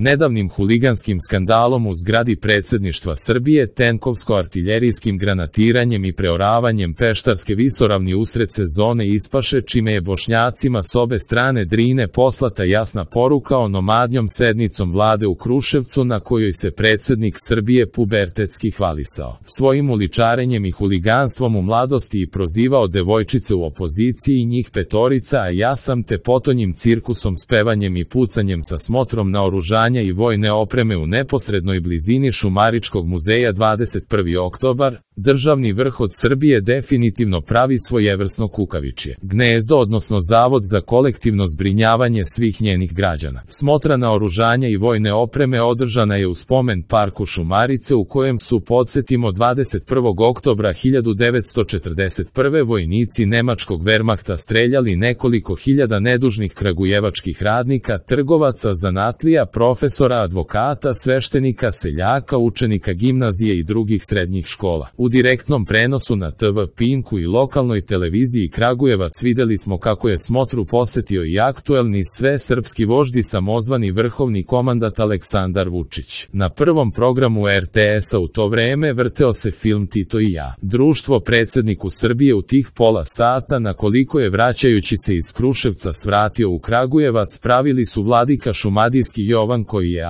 nedavnim huliganskim skandalom u zgradi predsjedništva Srbije, tenkovsko-artiljerijskim granatiranjem i preoravanjem Peštarske visoravni usred sezone ispaše, čime je Bošnjacima s obe strane Drine poslata jasna poruka o nomadnjom sednicom vlade u Kruševcu na kojoj se predsjednik Srbije pubertetski hvalisao svojim uličarenjem i huliganstvom u mladosti i prozivao devojčice u opoziciji i njih petorica, a ja sam te potonjim cirkusom s pevanjem i pucanjem sa smotrom naoružanja i vojne opreme u neposrednoj blizini Šumaričkog muzeja 21. oktobar, državni vrh od Srbije definitivno pravi svojevrsno kukavičje gnezdo, odnosno zavod za kolektivno zbrinjavanje svih njenih građana. Smotra naoružanja i vojne opreme održana je u spomen parku Šumarice, u kojem su, podsjetimo, 21. oktobra 1941. vojnici nemačkog Wehrmachta streljali nekoliko hiljada nedužnih kragujevačkih radnika, trgovaca, zanatlija, profesora, advokata, sveštenika, seljaka, učenika gimnazije i drugih srednjih škola. U direktnom prenosu na TV Pinku i lokalnoj televiziji Kragujevac videli smo kako je smotru posetio i aktuelni svesrpski vožd i samozvani vrhovni komandant Aleksandar Vučić. Na prvom programu RTS-a u to vreme vrteo se film Tito i ja. Društvo predsjedniku Srbije u tih pola sata, na koliko je vraćajući se iz Kruševca svratio u Kragujevac, pravili su vladika šumadijski Jovan, koji je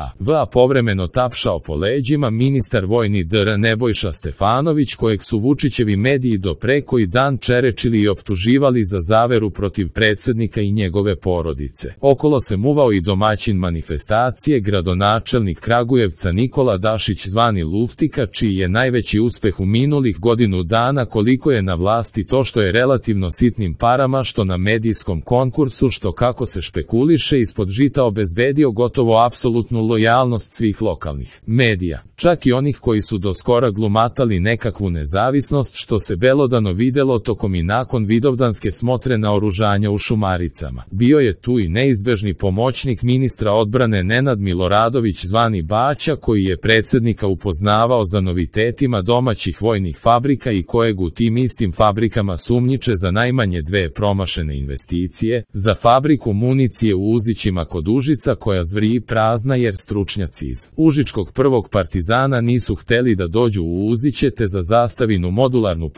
povremeno tapšao po leđima ministar vojni dr. Nebojša Stefanović, kojeg su Vučićevi mediji do pre koji dan čerečili i optuživali za zaveru protiv predsjednika i njegove porodice. Okolo se muvao i domaćin manifestacije, gradonačelnik Kragujevca Nikola Dašić zvani Luftika, čiji je najveći uspeh u minulih godinu dana koliko je na vlasti to što je relativno sitnim parama, što na medijskom konkursu, što kako se špekuliše ispod žita obezbedio gotovo apsolutnu lojalnost svih lokalnih medija, čak i onih koji su do skora glumatali nekakvu nezavisnost, što se belodano videlo tokom i nakon vidovdanske smotre naoružanja u Šumaricama. Bio je tu i neizbežni pomoćnik ministra odbrane Nenad Miloradović zvani Baća, koji je predsjednika upoznavao za novitetima domaćih vojnih fabrika i kojeg u tim istim fabrikama sumnjiče za najmanje 2 promašene investicije, za fabriku municije u Uzićima kod Užica koja zvrji prazna jer stručnjaci iz Užičkog prvog partizana nisu hteli da dođu u Uziće, te za zastavinu modularnu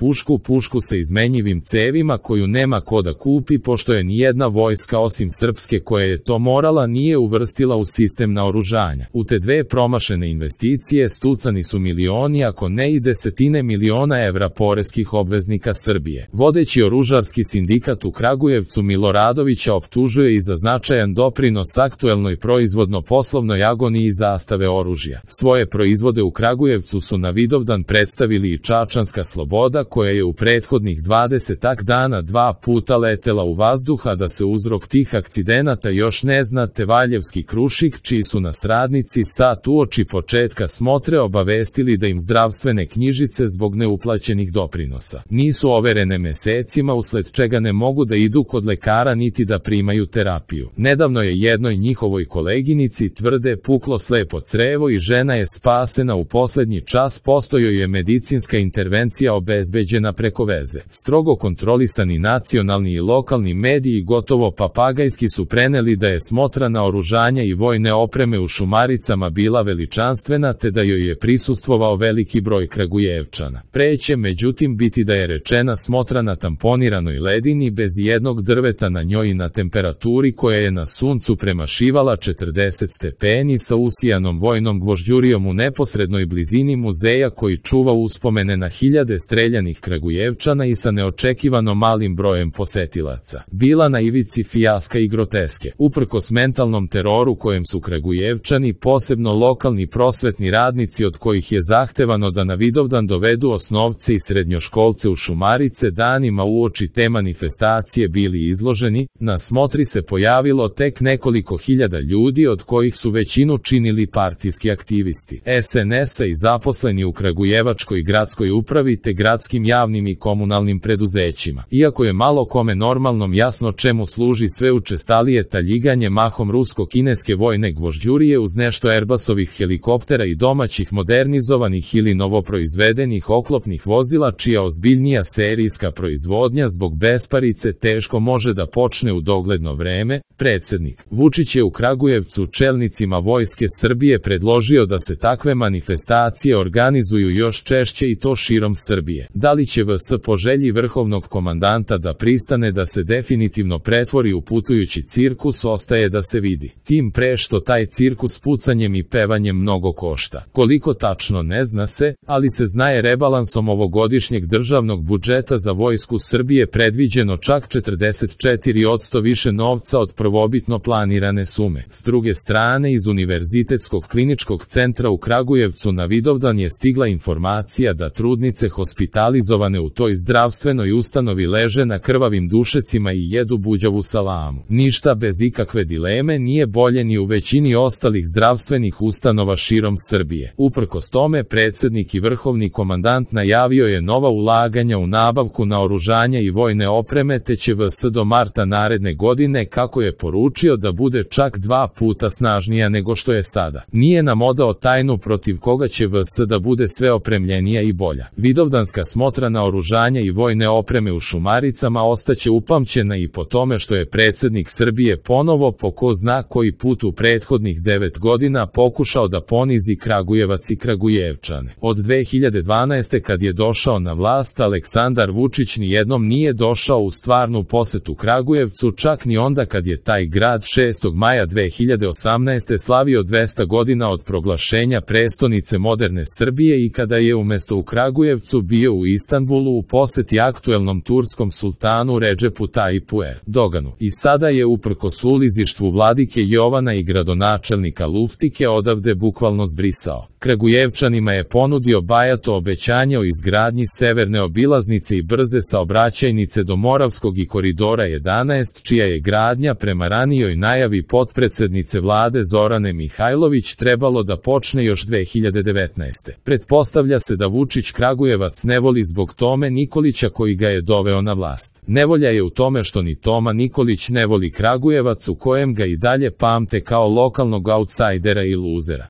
pušku sa izmenjivim cevima koju nema ko da kupi, pošto je nijedna vojska osim srpske koja je to morala nije uvrstila u sistem naoružanja. U te 2 promašene investicije stucani su milioni, ako ne i desetine miliona evra poreskih obveznika Srbije. Vodeći oružarski sindikat u Kragujevcu Miloradovića optužuje i za značajan doprinos aktuelnoj proizvodno-poslovnoj agoniji zastave oružja. Svoje proizvode u Kragujevcu su na Vidovdan predstavili i Čačanska Sloboda, koja je u prethodnih 20 dana 2 puta letela u vazduh, a da se uzrok tih akcidenata još ne zna, te Valjevski Krušik, čiji su nas radnici sat uoči početka smotre obavestili da im zdravstvene knjižice zbog neuplaćenih doprinosa nisu overene mesecima, usled čega ne mogu da idu kod lekara niti da primaju terapiju. Nedavno je jednoj njihovoj koleginici, tvrde, puklo slepo crevo i žena je spasena u poslednji čas, postojoj je medicinska intervencija obezbeđena preko veze. Strogo kontrolisani nacionalni i lokalni mediji gotovo papagajski su preneli da je smotra naoružanja i vojne opreme u Šumaricama bila veličanstvena, te da joj je prisustvovao veliki broj Kragujevčana. Pre će međutim biti da je rečena smotra na tamponiranoj ledini bez jednog drveta na njoj i na temperaturi koja je na suncu premašivala 40 stepeni, sa usijanom vojnom gvožđurijom u neposrednoj blizini muzeja koji čuva uspomene na hiljade streljanih Kragujevčana i sa neočekivano malim brojem posetilaca. Bila na ivici fijaska i groteske. Uprkos mentalnom teroru kojem su Kragujevčani, posebno lokalni prosvetni radnici od kojih je zahtevano da na Vidovdan dovedu osnovce i srednjoškolce u Šumarice, danima uoči te manifestacije bili izloženi, na smotri se pojavilo tek nekoliko hiljada ljudi, od kojih su većinu činili partijski aktivisti SNS-a i zaposleni u Kragujevačkoj gradskoj gradskoj upravi te gradskim javnim i komunalnim preduzećima. Iako je malo kome normalnom jasno čemu služi sve učestalije taljiganje mahom rusko-kineske vojne gvožđurije uz nešto Airbusovih helikoptera i domaćih modernizovanih ili novoproizvedenih oklopnih vozila čija ozbiljnija serijska proizvodnja zbog besparice teško može da počne u dogledno vreme, predsjednik Vučić je u Kragujevcu čelnicima Vojske Srbije predložio da se takve manifestacije organizuju još češće i to širom Srbije. Da li će VS po želji vrhovnog komandanta da pristane da se definitivno pretvori u putujući cirkus ostaje da se vidi. Tim pre što taj cirkus pucanjem i pevanjem mnogo košta. Koliko tačno ne zna se, ali se zna je rebalansom ovogodišnjeg državnog budžeta za Vojsku Srbije predviđeno čak 44% više novca od prvobitno planirane sume. S druge strane, iz Univerzitetskog kliničkog centra u Kragujevcu na Vidovdan je stigla informacija da trudnice hospitalizovane u toj zdravstvenoj ustanovi leže na krvavim dušecima i jedu buđavu salamu. Ništa bez ikakve dileme nije bolje ni u većini ostalih zdravstvenih ustanova širom Srbije. Uprkos tome, predsjednik i vrhovni komandant najavio je nova ulaganja u nabavku naoružanja i vojne opreme te će VS do marta naredne godine, kako je poručio, da bude čak 2 puta snažnija nego što je sada. Nije nam odao tajnu protiv koga će VS da bude sve opremljenija i bolja. Vidovdanska smotra naoružanja i vojne opreme u Šumaricama ostaće upamćena i po tome što je predsjednik Srbije ponovo po ko zna koji put u prethodnih 9 godina pokušao da ponizi Kragujevac i Kragujevčane. Od 2012. kad je došao na vlast, Aleksandar Vučić nijednom nije došao u stvarnu posetu Kragujevcu, čak ni onda kad je taj grad 6. maja 2018. slavio 200 godina od proglašenja prestonice moderne Srbije i kada je umjesto u Kragujevcu bio u Istanbulu u poseti aktuelnom turskom sultanu Redžepu Tajipu Erdoganu. I sada je uprkos ulizištvu vladike Jovana i gradonačelnika Luftike odavde bukvalno zbrisao. Kragujevčanima je ponudio bajato obećanje o izgradnji severne obilaznice i brze saobraćajnice do Moravskog i koridora 11, čija je gradnja prema ranijoj najavi potpredsednice vlade Zorane Mihajlović trebalo da počne još 2019. Pretpostavlja se da Vučić Kragujevac ne voli zbog Tome Nikolića koji ga je doveo na vlast. Nevolja je u tome što ni Toma Nikolić ne voli Kragujevac u kojem ga i dalje pamte kao lokalnog autsajdera i luzera.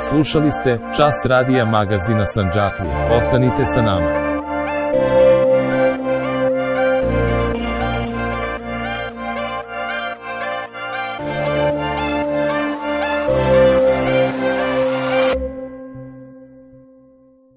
Slušali ste Čas radija magazina Sandžaklija. Ostanite sa nama.